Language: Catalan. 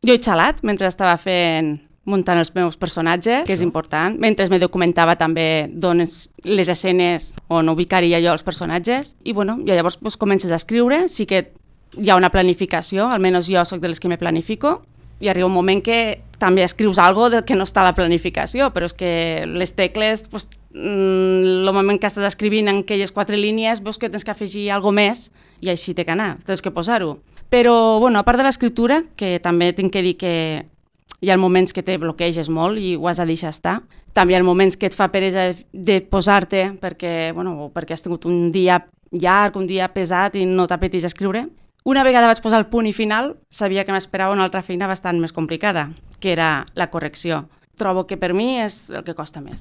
Jo he xalat mentre estava muntant els meus personatges, que és important, mentre me documentava també les escenes on ubicaria jo els personatges, i llavors comences a escriure, sí que hi ha una planificació, almenys jo soc de les que me planifico, i arriba un moment que també escrius algo del que no està a la planificació, però és que les tecles, el moment que estàs escrivint en aquelles 4 línies, veus que tens que afegir alguna més i així té que anar, tens que posar-ho. Però, a part de l'escriptura, que també tinc que dir que hi ha moments que te bloqueges molt i ho has de deixar estar, també hi ha moments que et fa peresa de posar-te perquè has tingut un dia llarg, un dia pesat i no t'apeteix escriure. Una vegada vaig posar el punt i final, sabia que m'esperava una altra feina bastant més complicada, que era la correcció. Trobo que per mi és el que costa més.